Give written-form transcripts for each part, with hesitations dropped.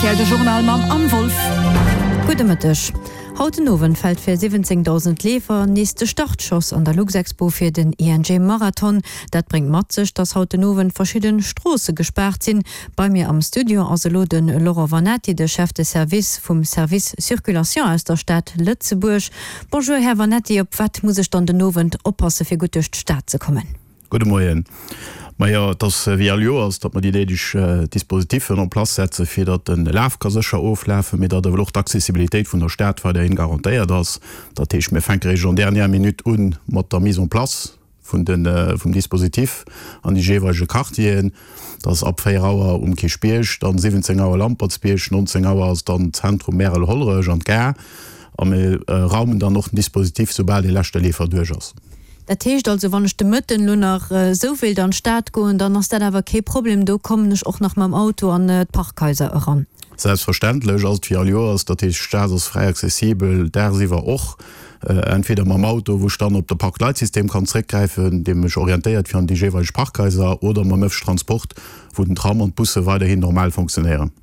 Rtl de Journal mam Anne Wolff. Gudde Mëtteg. Haut den Owend fält fir 17.000 Leefer nees de Startschoss an der Luxexpo fir den ING Marathon. Dat bréngt mat sech, dass haut den Owend verschidde Stroosse gespaart sinn. Bei mir am Studio ass elo de Laurent Vannetti, de Chef de Service vum Service Circulation aus der Stad Lëtzebuerg. Bonjour Här Vannetti, op wat muss ech dann den Owend oppasse fir gutt duerch d'Stad ze kommen? Gudde Moien. Majo, et ass wéi all Joers, datt mer déi néideg Dispositiffen en place setzen, fir datt de Laf ka sécher oflafen, mee datt awer och d'Accessibilitéit vun der Stad weiderhin garantéiert ass. Dat heescht, mir fänke réischt en dernière minute u mat der Mise en place vun de vum Dispositif an de jeeweilege Quartieren. Dat ass ab 4 Auer um Kierchbierg, dann 17 Auer Lampertsbierg, 19 Auer ass dann Zentrum Märel-Hollerech an d'Gare. A mir raumen dann och den Dispositif, soubal dee leschte Leefer duerch ass. Dat heescht also, wann ech de Mëtten elo nach esou wéilt an d'Stad goen, dann ass dat awer kee Problem, do kommen ech och nach mam Auto an d'Parkhaiser eran? Selbstverständlech ass et wéi all Joers. Dat heescht, d'Stad ass fräi accessibel, dagsiwwer och, entweder mam Auto, wou ech dann op de Park-Leit-System kann zréckgräifen, dee mech orientéiert fir an déi jeeweileg Parkhaiser, oder mam ëffentlechen Transport, wou den Tram an d'Busse weiderhin normal fonctionnéieren.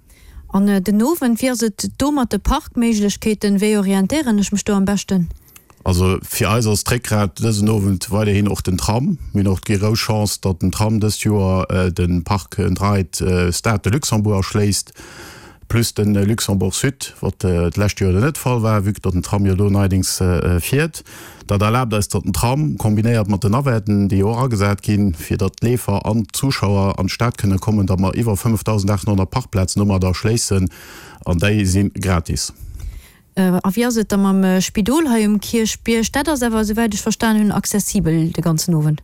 An den Owend, wéi ass et do mat de Parkméiglechkeeten? Wéi orientéieren ech mech do am beschten? Also fir eis ass d'Réckgrat dësen Owend weiderhin och den Tram. Mir hunn och déi grouss Chance, datt den Tram dëst Joer de Park and Ride Stade de Luxembourg erschléisst, plus de Luxembourg Sud, wat d'lescht Joer net de Fall war, vue que datt den Tram jo do neidings fiert. Dat erlaabt eis, datt den Tram, kombinéiert mat den Navetten, déi jo och agesat ginn, fir datt d'Leefer an d'Zuschauer an d'Stad kënne kommen, datt mer iwwer 5.800 Parkplazen domadder erschléissen, an déi si gratis. A wéi ass et da mam Spidol hei um Kierchbierg? Dat ass awer, esouwäit ech verstan hunn, accessibel de ganzen Owend.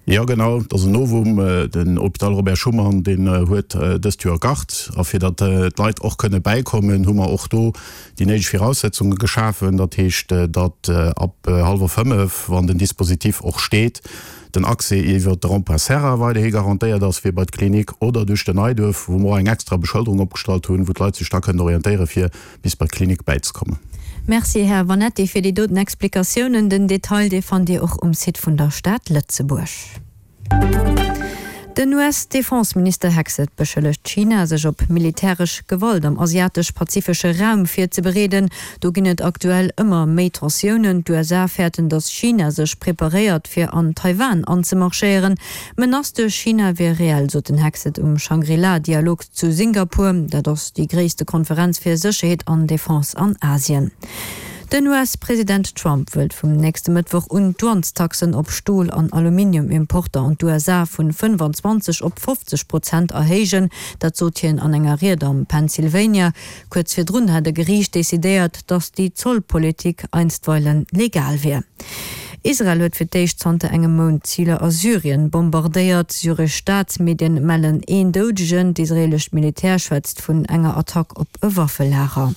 Jo genau, et ass en Novum. Den Hôpital Robert Schuman, deen huet dëst Joer Gard. A fir datt d'Leit och kënne bäikommen, hu mer och do déi néideg Viraussetzunge geschafen. Dat heescht, datt ab hallwer fënnef, wann den Dispositif och steet, den Accès iwwer de Rond-point Serra weiderhi garantéiert ass fir bei d'Klinik oder duerch den Neiduerf, wou mer och eng extra Beschëlderung opgestallt hunn, wou d'Leit sech da kënnen orientéiere fir bis bei d'Klinik bäizekommen. Merci, Här Vanetti, fir déi doten Explikatiounen. Den Detail, dee fannt Dir och um Site vun der Stad Lëtzebuerg. Den US-Defenseminister Hegseth beschëllegt China, sech op militäresch Gewalt am asiatesch-pazifesche Raum virzebereeden. Do ginn et aktuell ëmmer méi Tensiounen. D'USA fäerten, datt China sech preparéiert, fir an Taiwan anzemarschéieren. D'Menace duerch China wier reell, sot den Hegseth um Shangri-La-Dialog zu Singapur. Dat ass déi gréisste Konferenz fir Sécherheet an Defense an Asien. Den US-President Trump wëllt vum nächste Mëttwoch un d'Douanestaxen op Stol an Aluminium-Importer an d'USA vun 25 op 50 Prozent erhéijen. Dat sot hien an enger Ried am Pennsylvania. Kuerz virdrun hat e Geriicht decidéiert, datt déi Zollpolitik einstweilen legal wier. Israel huet fir d'éischt zanter engem Mount Ziler a Syrien bombardéiert. Syresch Staatsmedien mellen een Doudegen. D'israeelescht Militär schwätzt vun enger Attack op e Waffelager.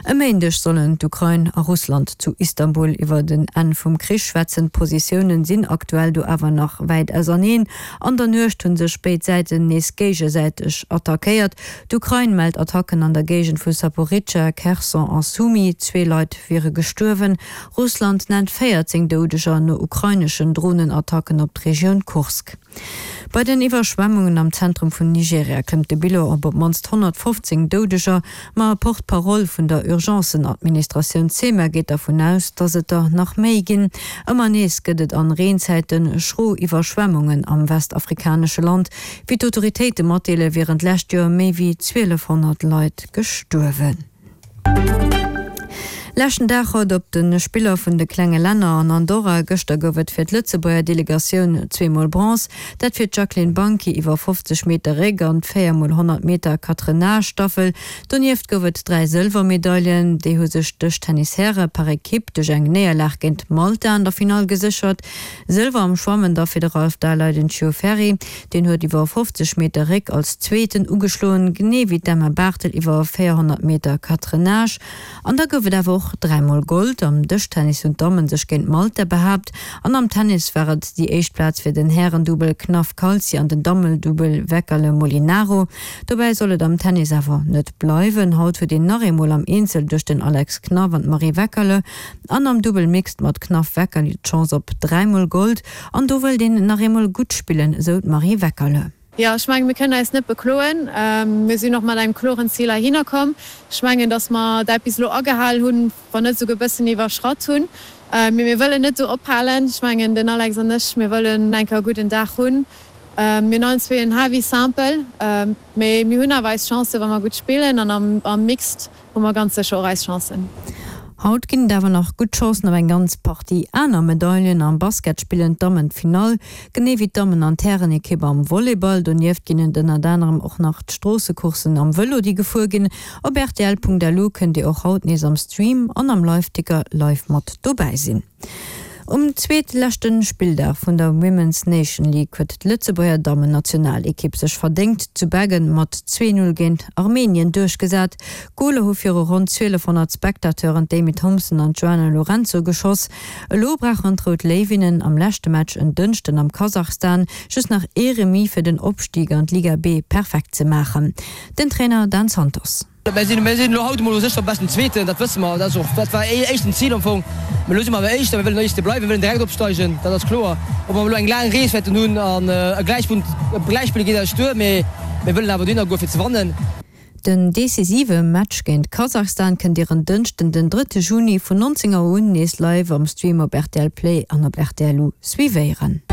E Méindeg sollen d'Ukrain a Russland zu Istanbul iwwer en Enn vum Krich schwätzen. D'Positiounen sinn aktuell do awer nach wäit auserneen. An der Nuecht hu sech béid Säiten nees géigesäiteg attackéiert. D'Ukrain mellt Attacken an der Géigend vu Saporizhzhia, Kherson a Sumy. Zwee Leit wiere gestuerwen. Russland nennt 14 Doudeger no ukraineschen Dronenattacken op d'Regioun Kursk. Bei den Iwwerschwemmungen am Zentrum vun Nigeria klëmmt de Bilan op op d'mannst 115 Doudeger, ma e Porte-parole vun der Urgencen-Administratioun SEMA geet dervun aus, datt et der nach méi ginn. Ëmmer nees gëtt et an Reenzäite schro Iwwerschwemmungen am westafrikanesche Land. Wéi d'Autoritéite matdeelen, wieren d'lescht Joer méi wéi 1.200 Leit gestuerwen. Leschten Dag haut op de Spiller vun de klenge Länner an Andorra. Gëschter gouf et fir d'Lëtzebuerger Delegatioun zweemol Bronze. Dat fir d'Jacqueline Banchi iwwer 50 Meter Réck an d'4 mol 100 Meter Quatre-Nages-Staffel. Donieft gouf et 3 Sëlwermedaillen. Déi hu sech d'Dëschtennis-Häre par Ekipp duerch eng Néierlag géint Malta an der Finall geséchert. Sëlwer am Schwammen da fir de Ralph Daleiden Ciofferri. Deen huet iwwer 50 Meter Réck als Zweeten ugeschloen, genee wéi d'Emma Barthel iwwer 400 Meter Quatre-Nages. An da gouf et awer och dräimol Gold. Am Dëschtennis hunn d'Dammen sech géint Malta behaapt an am Tennis war et déi éischt Plaz fir den Härendubbel Knaff-Calzi an den Dammedubbel Weckerle-Molinaro. Dobäi soll et am Tennis awer net bleiwen. Haut huet een nach eemol am Eenzel duerch den Alex Knaff an d'Marie Weckerle an am Dubbel Mixed mat Knaff-Weckerle d'Chance op dräimol Gold. An do wëllt een nach eemol gutt spillen, esou d'Marie Weckerle. Jo, ech mengen, mir kënnen eis net bekloen. Mir sinn och mat engem kloren Zil heihinner komm. Ech mengen, datt mer dat bis elo agehal hunn, wann net esouguer e bëssen iwwerschratt hunn. Mee mir wëllen net do ophalen. Ech mengen, den Alex an ech, mir wëllen eng Kéier e gudden Dag hunn. Mir hunn allen zwee en Heavy Simple, mee mir hunn awer eis Chancen, wa mer gutt spillen an am Mixed hu mer ganz sécher och eis Chancen. Haut ginn et awer nach gutt Chancen op eng ganz Partie aner Medailen. Am Basket spillen d'Dammen d'Finall, genee wéi d'Dammen an d'Härenekipp am Volleyball. Donieft ginn et ënnert anerem och nach d'Stroossecourssen am Vëlo, déi gefuer ginn. Op rtl.lu kënnt Dir och haut nees am Stream an am Liveticker live mat dobäi sinn. Um zweetleschte Spilldag vun der Women's Nation League huet d'Lëtzebuerger Dammennationalekipp sech verdéngt zu Beggen mat 2, 0 géint Armenien duerchgesat. D'Goler hu viru ronn 1200 Spectateuren d'Amy Thompson an d'Joana Lourenço geschoss. Elo brauchen d'Rout Léiwinnen am leschte Match en Dënschden am Kasachstan just nach ee Remis fir den Opstig an d'Liga B perfekt ze maachen. Den Trainer Dan Santos. Mir sinn mir sinn elo haut emol u sech am beschten Zweeten, dat wësse mer. Dat ass och, dat war éischten Zil am Fong. Mee elo si mer awer Éischter, mir wëllen Éischte bleiwen, mir wëllen direkt opsteigen, dat ass kloer. Ob mer elo eng laang Rees wäerten hunn an e Gläichpunkt, e Gläichspill geet eis duer, mee mir wëllen awer dohinner goe fir ze wannen. Den decisive Match géint Kasachstan kënnt Dir en Dënschden den drëtte Juni vun 19 Auer un nees live am Stream op rtl Play an op rtl U suivéieren.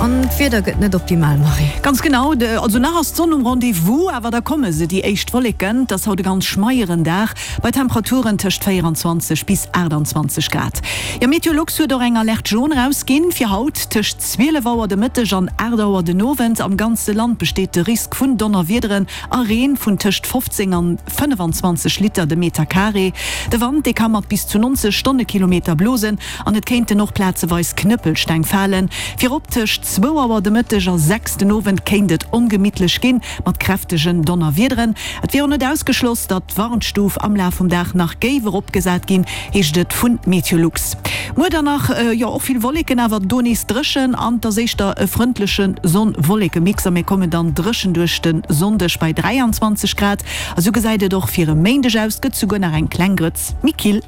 An d'Wieder gëtt net optimal, Marie. Ganz genau, also nach ass d'Sonn um Rendez-vous, awer da komme se, déi éischt Wolleken. Et ass haut e ganz schmeieren Dag bei Temperaturen tëscht 24 bis 28 Grad. Jo, Meteolux huet och eng Alerte jaune erausginn fir haut tëscht 12 Auer de Mëtteg an 8 Auer den Owend. Am ganze Land besteet de Risk vun Donnerwiederen a Reen vun tëscht 15 an 25 Liter de Meter Carré. De Wand, dee ka mat bis zu 90 Stonnekilometer blosen an et kéinten och plazeweis Knëppelsteng falen. Virop tëscht zwou Auer de Mëtteg a 6 den Owend kéint et ongemittlech ginn, mat kräftegen Donnerwiederen. Et wier och net ausgeschloss, datt d'Warnstuf am Laf vum Dag nach géif eropgesat ginn, heescht et vu Meteolux. Muer dann nach, jo och vill Wolleken, awer do nees dréchen an et ass éischter e frëndleche Sonn-Wolleke-Mix a mir kommen dann dréchen duerch de Sonndeg bei 23 Grad. A sou gesäit et och fir e Méindeg aus, gëtt souguer nach eng kleng Grëtz méi kill.